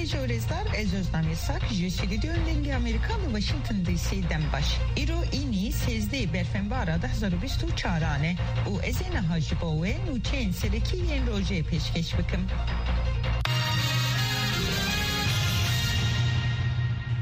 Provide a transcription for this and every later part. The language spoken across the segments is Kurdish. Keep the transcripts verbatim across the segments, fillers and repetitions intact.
Ji rêzdar, ez Ozlem Yasak ji Stûdyoyên Dengê Amerîka li Washington D C dem baş. Îro înî sêzdeh berfenbara du hezar û bîst û çaran e û ez ê niha ji bo we nûçeyên serekî yên rojê pêşkêş bikim.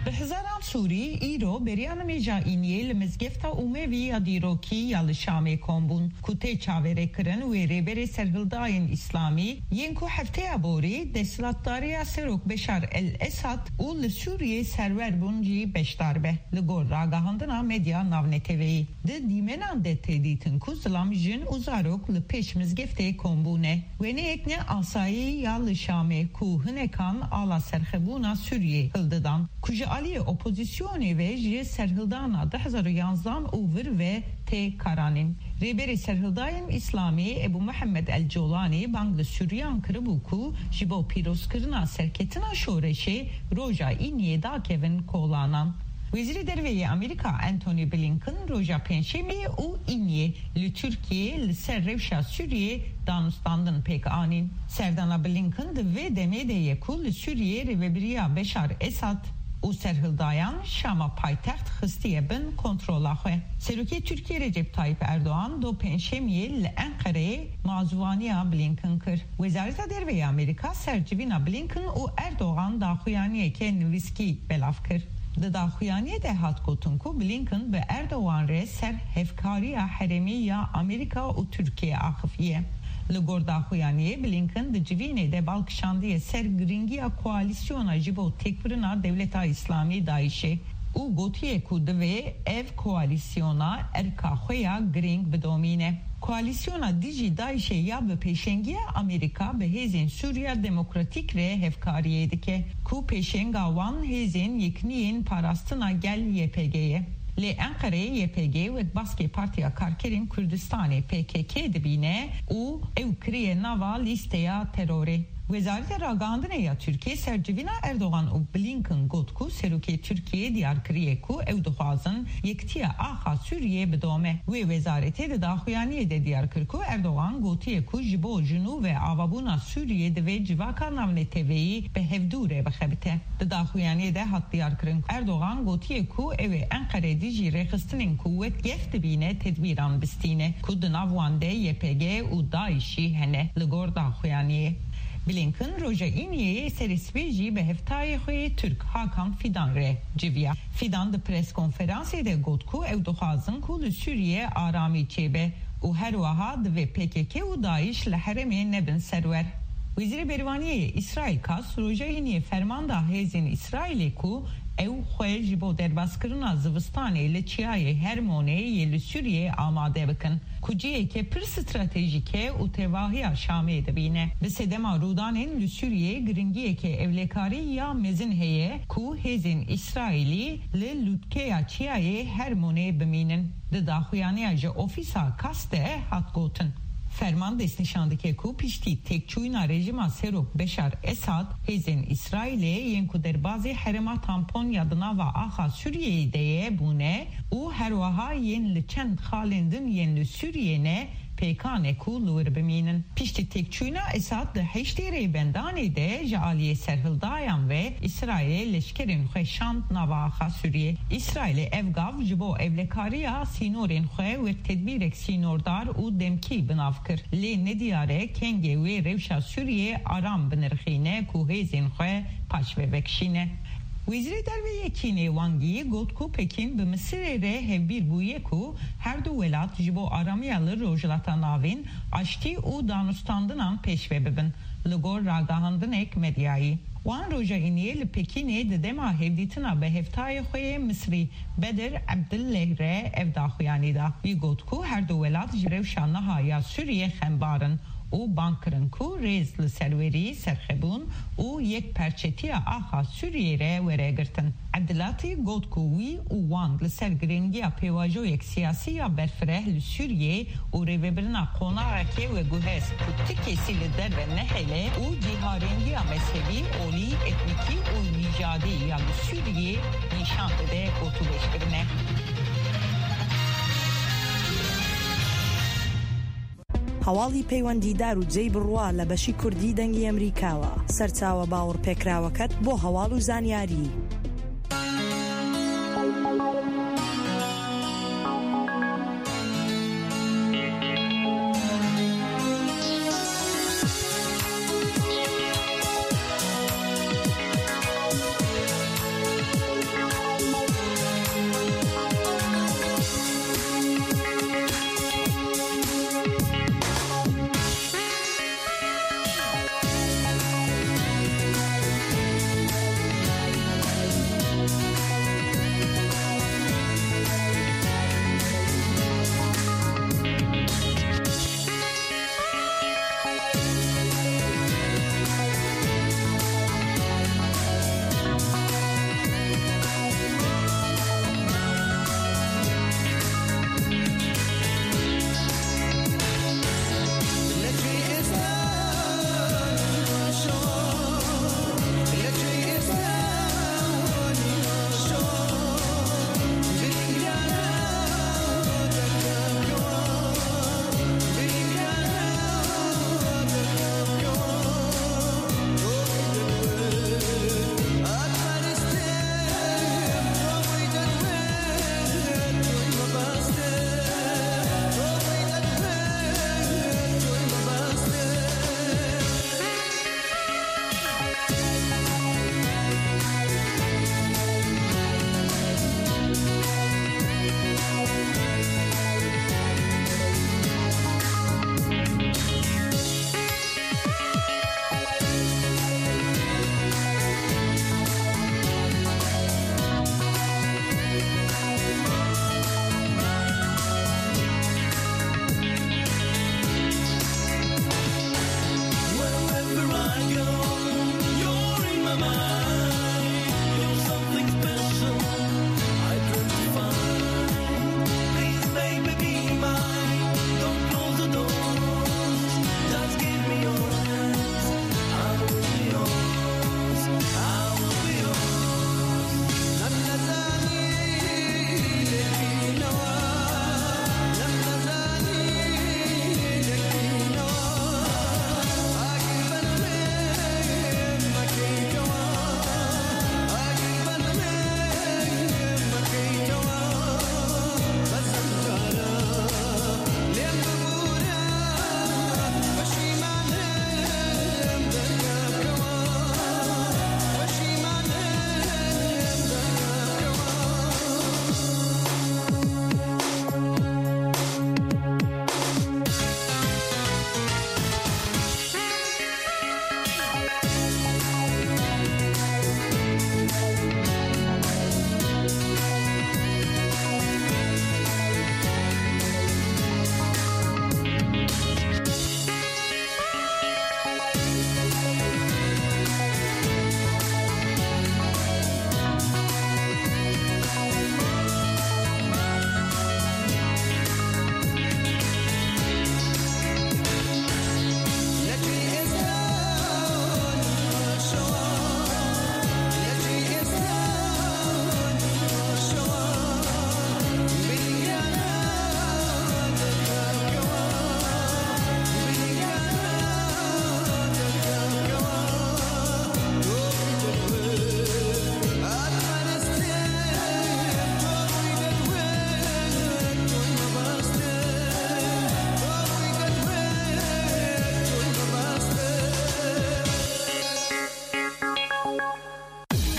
Bi hezaran Sûrî îro beriya nimêja îniyê li Mizgefta Umevî ya dîrokî ya li Şamê kom bûn, ku tê çaverêkirin wê rêberê serhildayên Îslamî yên ku hefteya borî desthilatdariya Serok Beşar el-Esad û li Sûriyê serwer bûn jî beşdar be. Li gor ragihandina medya navneteweyî, di dîmenan de tê dîtin ku zilam, jin û zarok li pêş mizgeftê kom bûne. Wêneyek ne asayî ya li Şamê ku hinekan ala serxebûna Sûriyê hildidan, ku ji aliyê opozîsyonê ve ji serhildana du hezar û yanzdan û vir ve tê karanîn. Rêberê serhildayên Îslamî Ebû Mihemed El Colanî bang li Sûriyan kiribû ku ji bo pîrozkirina serketina şoreşê roja Îniyê dakevin kolanan. Wezîrê Derve yê Amerîka Antony Blinken roja Pêncşemê û Îniyê li Tirkiyê li ser rewşa Sûriyê danûstandin pêk anîn. Serdana Blinken di vê demê de ye ku li Sûriyê rêvebiriya Beşar Esad û serhildayan Şama paytext xistiye bin kontrola xwe. Serokê Tirkiyê Recep Tayyip Erdogan do Pêncşemiyê li Enqereyê mazûvaniya Blinken kir. Wezareta Derve ya Amerîka ser civîna Blinken û Erdogan daxuyaniyeke nivîskî belav kir. Di daxuyaniyê de hat gotin ku Blinken bi Erdogan re ser hevkariya herêmî ya Amerîka û Tirkiyê axifiye. Li gor daxuyaniyê, Blinken di civînê de bal kişandiye ser girîngiya koalîsyona ji bo têkbirina Dewleta Îslamî DAIŞ'ê û gotiye ku divê ev koalîsyona erka xwe ya girîng bidomîne. Koalîsyona dijî DAIŞ'ê ya bi pêşengiya Amerîka bi hêzên Sûriya Demokratîk re hevkariyê dike, ku pêşenga wan hêzên yekniyên parastina gel Y P G ye. Lê Enqereyê Y P G wek baskê Partiya Karkerên Kurdistanê P K K dibîne û ew kiriye nava lîsteya terorê. Wezareta Ragihandinê ya Tirkiyê ser civîna Erdogan û Blinken got ku serokê Tirkiyê diyar kiriye ku ew dixwazin yekitiya axa Sûriyê bidome. Wê wezaretê di daxuyaniyê de diyar kir ku Erdogan gotiye ku ji bo jinû ve avabûna Sûriyê divê civaka navneteweyî bi hevdû re bixebite. Di daxuyaniyê de hat diyarkirin ku Erdogan gotiye ku ew ê Enqere dijî rêxistinên ku wek gef dibîne tedbîran bistîne ku di nav wan de Y P G û DAIŞ jî hene. Li gor daxuyaniyê, Blinken roja Îniyê serê sibê jî bi hevtayê xwe yê Tirk Hakan Fidan re civiya. Fidan di pres konferansê de got ku ew dixwazin ku li Sûriyê aramî çêbe û her wiha divê P K K û DAIŞ li herêmê nebin serwer. Wezîrê Berîvaniyê yê Îsraîl Katz roja Îniyê ferman da hêzên Îsraîlê ku ew xwe ji bo derbaskirina zivistanê li Çiyayê Hermonê yê li Sûriyê amade bikin, ku ciheke pir stratejîk e û tevahiya Şamê dibîne. Bi sedema rûdanên li Sûriyê, giringiyeke ewlekarî ya mezin heye ku hêzên Îsraîlî li lûtkeya Çiyayê Hermonê bimînin. Di daxuyaniya ji ofîsa Katz de hat gotin, ferman destnîşan dike ku piştî têkçûyîna rejîma Serok Beşar Esad, hêzên Îsraîlê yên ku derbazî herêma tampon ya di nava axa Sûriyeyê de ye bûne û her wiha yên li çend xalên din yên li Sûriyê ne, pêkan e ku li wir bimînin. Piştî têkçûyîna Esad di heştê rêbendanê de ji aliyê serhildayan ve Îsraîlê leşkerên xwe şand nava axa Sûriyê. Îsraîlê ev gav ji bo ewlekariya sînorên xwe wek tedbîrek sînordar û demkî bi nav kir. Lê nediyar e kengê wê rewşa Sûriyê aram binirxîne ku hêzên xwe paşve vekişîne. Wezîrê Derve yê Çînê Wang Yi got ku Pekîn bi Misirê re hevbîr bûye ku her du welat ji bo aramiya li Rojhilata Navîn, aştî û danûstandinan pêşve bibin, li gor ragihandinek medyayî. Wan roja Îniyê li Pekînê di dema hevdîtina bi hevtayê xwe yê Misrî Bedir Ebdilleh re ev daxuyanî da. Wî got ku her du welat ji rewşa niha ya Sûriyê xembar in û bang kirin ku rêz li serwerî, serxwebûn û yekperçetiya axa Sûriyê re were girtin. Ebdilatî got ku wî û Wang li ser giringiya pêvajoyek siyasî ya berfireh li Sûriyê û rêvebirina qonaxekê veguhest ku ti kesî li derve nehêle û cîharêngiya mezhebî, olî, etnîkî û nîjadî ya li Sûriyê nîşan dide, gotûbêj kirine. هەواڵی پەیوەندیدار و جێی بڕوا لە بەشی کوردی دەنگی ئەمریکاوە. سەرچاوە باوەڕپێکراوەکەت بۆ هەواڵ و زانیاری.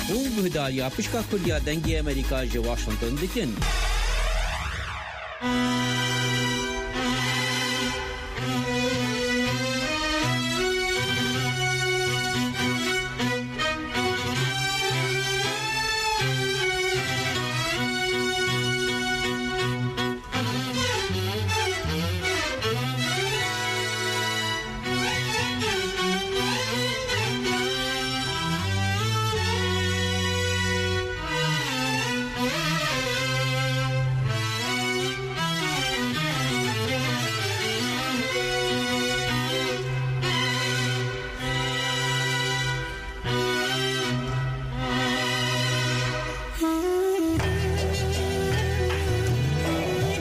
Hûn guhdariya Pişka Kurdiya Dengê Amerîka ji Washington dikin.